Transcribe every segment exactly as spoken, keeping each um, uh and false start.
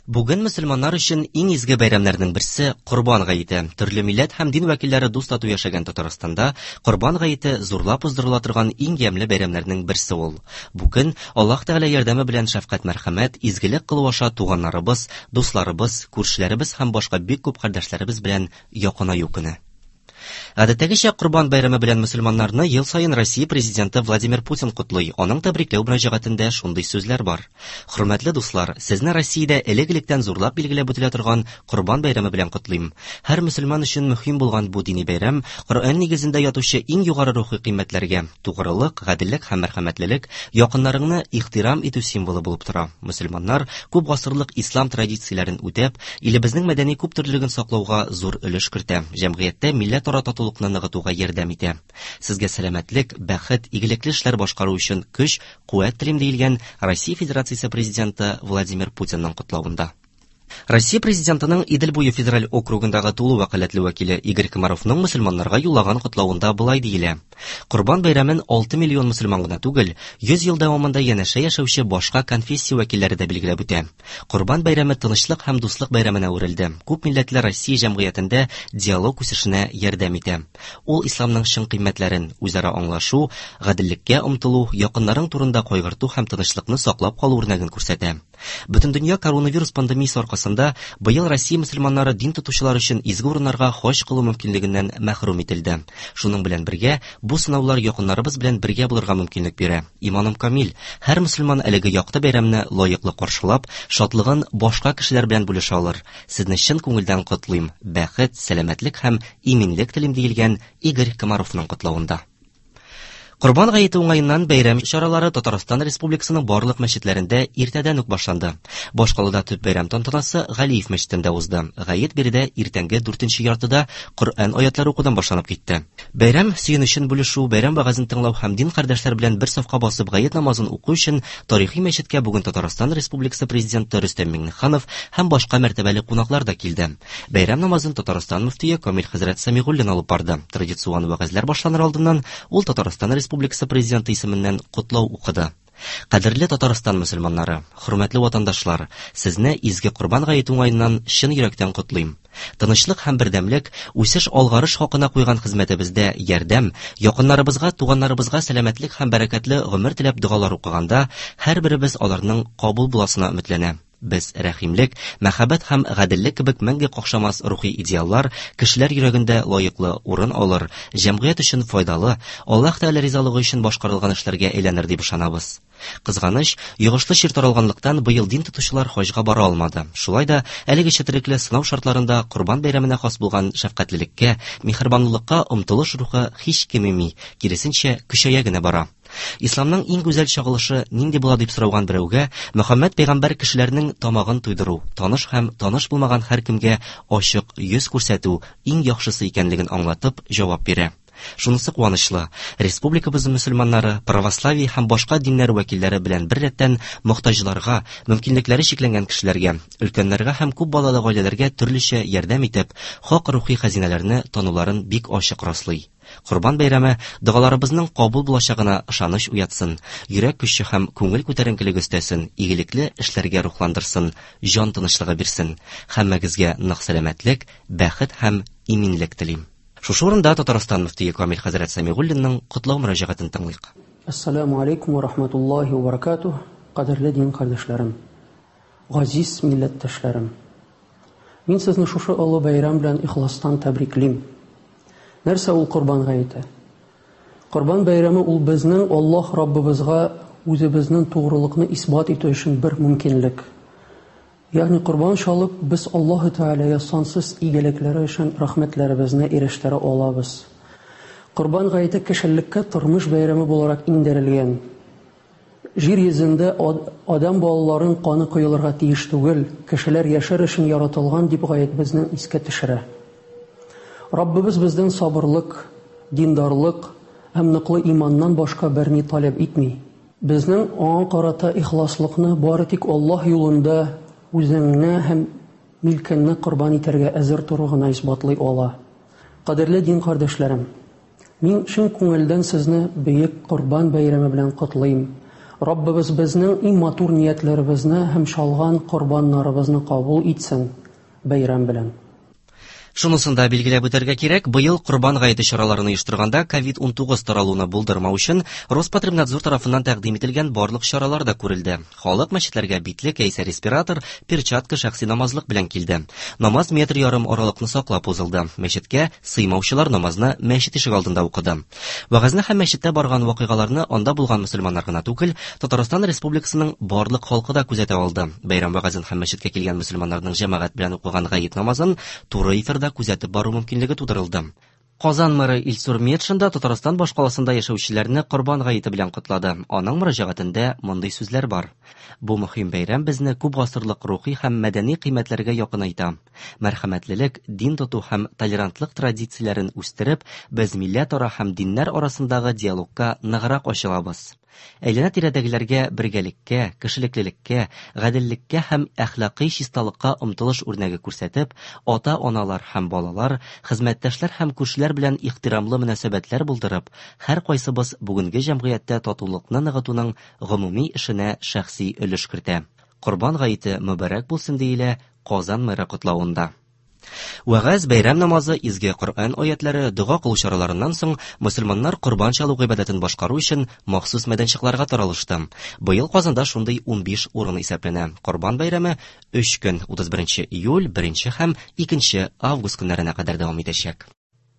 Бүген мөселманнар өчен иң изге бәйрәмнәрнең берсе – Корбан гаете. Төрле милләт һәм дин вәкилләре дус-тату яшәгән Татарстанда Корбан гаете зурлап уздырыла торган иң ямьле бәйрәмнәрнең берсе ул. Бу көн Аллаһ Тәгалә ярдәме белән шәфкать-мәрхәмәт, изгелек кылу аша туганнарыбыз, дусларыбыз, күршеләребез һәм башка бик күп кардәшләребез белән якынаю көне. Гадәттәгечә, Корбан бәйрәме белән мөселманнарны ел саен Россия Президенты Владимир Путин котлый. Аның тәбрикләү мөрәҗәгатендә шундый сүзләр бар. Хөрмәтле дуслар, сезне Россиядә элек-электән зурлап билгеләп үтелә торган Корбан бәйрәме белән котлыйм. Һәр мөселман өчен мөһим булган бу дини бәйрәм Коръән нигезендә ятучы иң югары рухи кыйммәтләргә тугрылык, гаделлек һәм мәрхәмәтлелек, якыннарыңны ихтирам итү символы булып тора. Мөселманнар күп гасырлык ислам традицияләрен үтәп, илебезнең мәдәни күптөрлелеген саклауга зур өлеш кертә. Җәмгыятьтә милләтара татулыкны ныгытуга ярдәм итә. Сезгә сәламәтлек, бәхет, игелекле эшләр башкару өчен көч, куәт телим, диелгән Россия Федерациясе Президенты Владимир Путинның котлавында. Россия Президентының Идел буе федераль округындагы тулы вәкаләтле вәкиле Игорь Комаровның мөселманнарга юллаган котлавында болай диелә. Корбан бәйрәмен алты миллион мөселман гына түгел, йөз ел дәвамында янәшә яшәүче башка конфессия вәкилләре дә билгеләп үтә. Корбан бәйрәме тынычлык һәм дуслык бәйрәменә әверелде. Күп милләтле Россия җәмгыятендә диалог үсешенә ярдәм итә. Ул исламның чын кыйммәтләрен, үзара аңлашу, гаделлеккә омтылу, якыннарың турында кайгырту һәм тынычлыкны саклап калу үрнәген күрсәтә. Бөтендөнья коронавирус пандемиясе аркасында быел Россия мөселманнары дин тотучылар өчен изге урыннарга хаҗ кылу мөмкинлегеннән мәхрүм ителде. Шуның белән бергә бу сынаулар якыннарыбыз белән бергә булырга мөмкинлек бирә. Иманым камил, һәр мөселман әлеге якты бәйрәмне лаеклы каршылап, шатлыгын башка кешеләр белән бүлешә алыр. Сезне чын күңелдән котлыйм. Бәхет, сәламәтлек һәм иминлек телим, диелгән Игорь Комаровның котлавында. Корбан гаете уңаеннан бәйрәм чаралары Татарстан Республикасының барлык мәчетләрендә иртәдән үк башланды. Башкалада төп бәйрәм тантанасы Галиев мәчетендә узды. Гает биредә иртәнге дүртенче яртыда Коръән аятлары укудан башланып китте. Бәйрәм сөенечен бүлешү, бәйрәм вәгазен тыңлау һәм дин кардәшләр белән бер сафка басып гает намазын уку өчен тарихи мәчеткә бүген Татарстан Республикасы Президенты Рөстәм Миңнеханов һәм башка мәртәбәле кунаклар да килде. Бәйрәм намазын Татарстан мөфтие Камил хәзрәт Сәмигуллин алып барды. Традицион вәгазьләр башланыр алдыннан ул Татарстан Республикасы Президенты исеменнән котлау укыды. Кадерле Татарстан мөселманнары, хөрмәтле ватандашлар, сезне изге Корбан гаете уңаеннан чын йөрәктән котлыйм. Тынычлык һәм бердәмлек, үсеш алгарыш хакына куйган хезмәтебездә ярдәм, якыннарыбызга, туганнарыбызга сәламәтлек һәм бәрәкәтле гомер теләп догалар укыганда, һәрберебез аларның кабул буласына өметләнә. Без рәхимлек, мәхәббәт һәм гаделлек кебек мәңге какшамас рухи идеаллар кешеләр йөрәгендә лаеклы урын алыр, җәмгыять өчен файдалы, Аллаһ Тәгалә ризалыгы өчен башкарылган эшләргә әйләнер дип ышанабыз. Кызганыч, йогышлы чир таралганлыктан быел дин тотучылар хаҗга бара алмады. Шулай да әлеге четерекле сынау шартларында Корбан бәйрәменә хас булган шәфкатьлелеккә, миһербанлылыкка омтылыш рухы һич кимеми, киресенчә көчәя генә бара. Исламның иң гүзәл чагылышы нинди була дип сорауган берәүгә Мөхәммәд пәйгамбәр кешеләрнең тамагын туйдыру, таныш һәм таныш булмаган һәркемгә ачык йөз күрсәтү иң яхшысы икәнлеген аңлатып җавап бирә. Шунысы куанычлы, республикабыз мөселманнары, православие һәм башка диннәр вәкилләре белән бер рәттән мохтаҗларга, мөмкинлекләре чикләнгән кешеләргә, өлкәннәргә һәм күп балалы гаиләләргә төрлечә ярдәм итеп, хак рухи хәзинәләрне тануларын бик ачык раслый. Корбан бәйрәме догаларыбызның кабул булачагына ышаныч уятсын, йөрәк көче һәм күңел күтәренкелеге өстәсен, игелекле эшләргә рухландырсын, җан тынычлыгы бирсен. Һәммәгезгә нык сәламәтлек, бәхет һәм иминлек телим. Шушы урында Татарстан мөфтие Камил хәзрәт Сәмигуллинның котлау мөрәҗәгатен тыңлыйк. Ассаламу алейкум ва рахматуллахи ва баракатух. Кадерле дин кардәшләрем, газиз милләттәшләрем. Мин сезне шушы олы бәйрәм белән ихластан тәбриклим. Нәрсә ул Корбан гаете? Корбан бәйрәме ул безнең Аллаһ Раббыбызга үзебезнең тугрылыкны исбат итү өчен бер мөмкинлек. Ягъни корбан чалып, без Аллаһ Тәгаләгә сансыз игелекләре өчен рәхмәтләребезне ирештерә алабыз. Корбан гаете кешелеккә тормыш бәйрәме буларак иңдерелгән. Җир йөзендә адам балаларының каны коелырга тиеш түгел, кешеләр яшәр өчен яратылган дип гает безнең искә төшерә. Раббыбыз бездән сабырлык, диндарлык һәм ныклы иманнан башка берни таләп итми. Безнең аңа карата ихласлыкны бары тик Аллаһ юлында үзеңне һәм милкеңне корбан итәргә әзер тору гына исбатлый ала. Кадерле дин кардәшләрем, мин чын күңелдән сезне бөек Корбан бәйрәме белән котлыйм. Раббыбыз безнең иң матур ниятләребезне һәм чалган корбаннарыбызны кабул итсен. Бәйрәм белән. Шунысын да билгеләп үтәргә кирәк, быел Корбан гаете чараларын оештырганда ковид унтугыз таралуны булдырмау өчен Роспотребнадзор тарафыннан тәкъдим ителгән барлык чаралар да күрелде. Халык мәчетләргә битлек, яисә респиратор, перчатка, шәхси намазлык белән килде. Намаз метр ярым аралыкны саклап узылды. Мәчеткә сыймаучылар намазны мәчет ишек алдында укыды. Вәгазьне һәм мәчеттә барган вакыйгаларны анда булган мөселманнар гына түгел, Татарстан Республикасының барлык халкы да күзәтә алды. Бәйрәм вәгазен һәм мәчеткә килгән мөселманнарның җәмәгать белән укыган гает намазын туры эфирда күзәтеп бару мөмкинлеге тудырылды. Казан мэры Илсур Метшин да Татарстан башкаласында яшәүчеләрне Корбан гаете белән котлады. Аның мөрәҗәгатендә мондый сүзләр бар. Бу мөһим бәйрәм безне күп гасырлык рухи һәм мәдәни кыйммәтләргә якынайта. Мәрхәмәтлелек, дин тоту һәм толерантлык традицияләрен үстереп, без милләтара һәм диннәр арасындагы диалогка ныграк ачылабыз. Әйләнә-тирәдәгеләргә бергәлеккә, кешелеклелеккә, гаделлеккә һәм әхлакый чисталыкка омтылыш үрнәге күрсәтеп, ата-аналар һәм балалар, хезмәттәшләр һәм күршеләр белән ихтирамлы мөнәсәбәтләр булдырып, һәр кайсыбыз бүгенге җәмгыятьтә татулыкны ныгытуның гомуми эшенә шәхси өлеш кертә. Корбан гаете мөбарәк булсын диелә Казан мэры котлавында. Вәгазь, бәйрәм намазы, изге Коръән аятлары, дога кылу чараларыннан соң мөселманнар корбан чалу гыйбадәтен башкару өчен махсус мәйданчыкларга таралышты. Быел Казанда шундый унбиш урын исәпләнә. Корбан бәйрәме өч көн, утыз беренче июль, беренче һәм икенче август көннәренә кадәр дәвам итәчәк.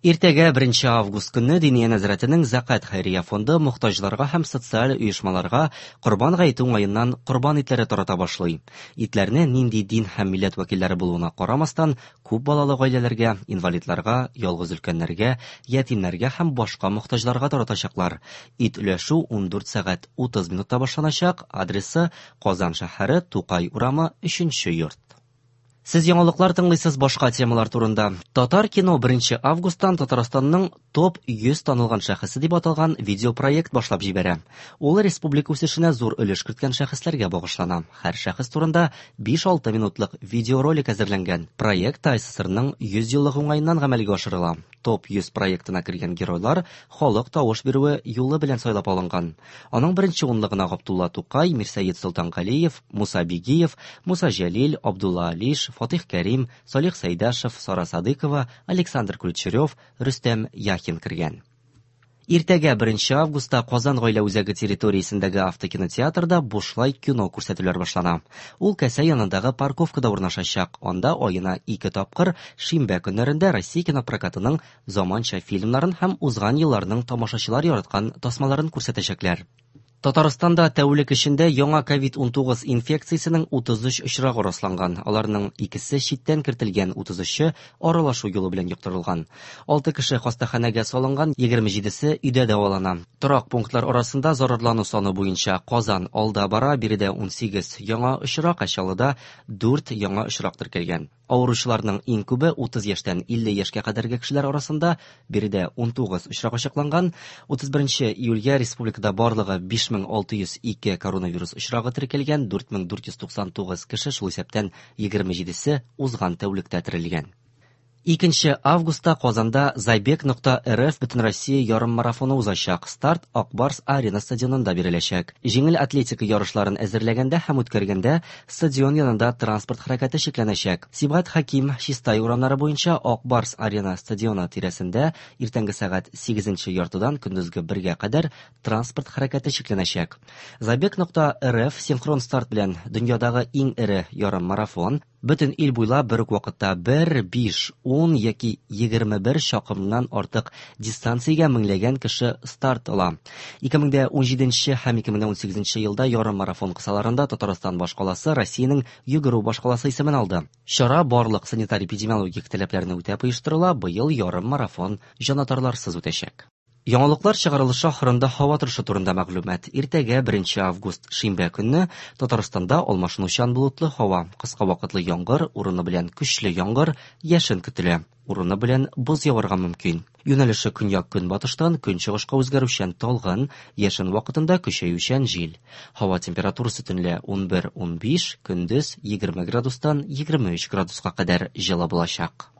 Иртәгә беренче август көнне Диния нәзарәтенең Зәкат хәйрия фонды мохтаҗларга һәм социаль оешмаларга Корбан гаете уңаеннан корбан итләре тарата башлый. Итләрне нинди дин һәм милләт вәкилләре булуына карамастан, күп балалы гаиләләргә, инвалидларга, ялгыз өлкәннәргә, ятимнәргә һәм башка мохтаҗларга таратачаклар. Ит өләшү ундүрт сәгать утыз минутта башланачак. Адресы Казан шәһәре, Тукай урамы, өченче йорт. Сез яңалыклар тыңлыйсыз башка темалар турында. Татар кино беренче августтан Татарстанның топ йөз танылган шәхесе дип аталган видеопроект башлап җибәрә. Ул республика үсешенә зур өлеш керткән шәхесләргә багышлана. Һәр шәхес турында биш-алты минутлык видеоролик әзерләнгән. Проект ТАССРның йөз еллыгы уңаеннан гамәлгә ашырыла. Топ йөз проектына кергән геройлар халык тавыш бирүе юлы белән сайлап алынган. Аның беренче унлыгына Габдулла Тукай, Мирсәет Солтангалиев, Муса Бигиев, Муса Җәлил, Абдулла Алиш, Фатих Кәрим, Салих Сәйдашев, Сара Садыкова, Александр Ключерев, Рөстәм Яхин кергән. Иртәгә беренче августта Казан гаилә үзәге территориясендәге автокинотеатрда бушлай кино күрсәтүләр башлана. Ул кәсә янындагы парковкада урнашачак. Анда аена ике тапкыр шимбә көннәрендә Россия кинопрокатының заманча фильмнарын һәм узган елларның тамашачылар яраткан тасмаларын күрсәтәчәкләр. Татарстанда тәүлек эчендә яңа ковид унтугыз инфекциясенең утыз өч очрагы расланган. Аларның икесе читтән кертелгән, утыз өче аралашу юлы белән йоктырылган. Алты кеше хастаханәгә салынган, егерме җидесе өйдә дәвалана. Торак пунктлар арасында зарарлану саны буенча Казан алда бара, биредә унсигез яңа очрак, ә Чаллыда дүрт яңа очрак теркәлгән. Авыручыларның иң күбе утыз яшьтән илле яшькә кадәрге кешеләр арасында, биредә унтугыз очрак ачыкланган. Утыз беренче июльгә республикада барлыгы биш мең алты йөз ике коронавирус очрагы теркәлгән, дүрт мең дүрт йөз туксан тугыз кеше, шул исәптән егерме җидесе узган тәүлектә терелгән. Икенче августта Казанда Забег нокта РФ Бөтенроссия ярыммарафоны узачак. Старт Акбарс Арена стадионында биреләчәк. Җиңел атлетика ярышларын әзерләгәндә һәм үткәргәндә стадион янында транспорт хәрәкәте чикләнәчәк. Сибгат Хәким Чистай урамнары буенча Акбарс Арена стадионы тирәсендә иртәнге сәгать сигезенче яртыдан көндезге бергә кадәр транспорт хәрәкәте чикләнәчәк. Забег нокта РФ синхрон старт белән дөньядагы иң эре ярыммарафон. Бөтен ил буйлап бер үк вакытта бер, биш, ун яки егерме бер чакрымнан артык дистанциягә меңләгән кеше старт ала. Ике мең дә унҗиденче һәм ике мең дә унсигезенче елда ярыммарафон кысаларында Татарстан башкаласы Россиянең йөгерү башкаласы исемен алды. Чара барлык санитар-эпидемиологик таләпләрне үтәп оештырыла, быел ярыммарафон җанатарларсыз үтәчәк. Яңалыклар чыгарылышы ахырында һава торышы турында мәгълүмат. Иртәгә беренче август шимбә көнне Татарстанда алмашынучан болытлы һава, кыска вакытлы яңгыр, урыны белән көчле яңгыр, яшен көтелә. Урыны белән боз яварга мөмкин. Юнәлеше көньяк-көнбатыштан көнчыгышка үзгәрүчән талгын, яшен вакытында көчәючән җил. Һава температурасы төнлә унбер-унбиш, көндез егерме градустан егерме өч градуска кадәр җылы булачак.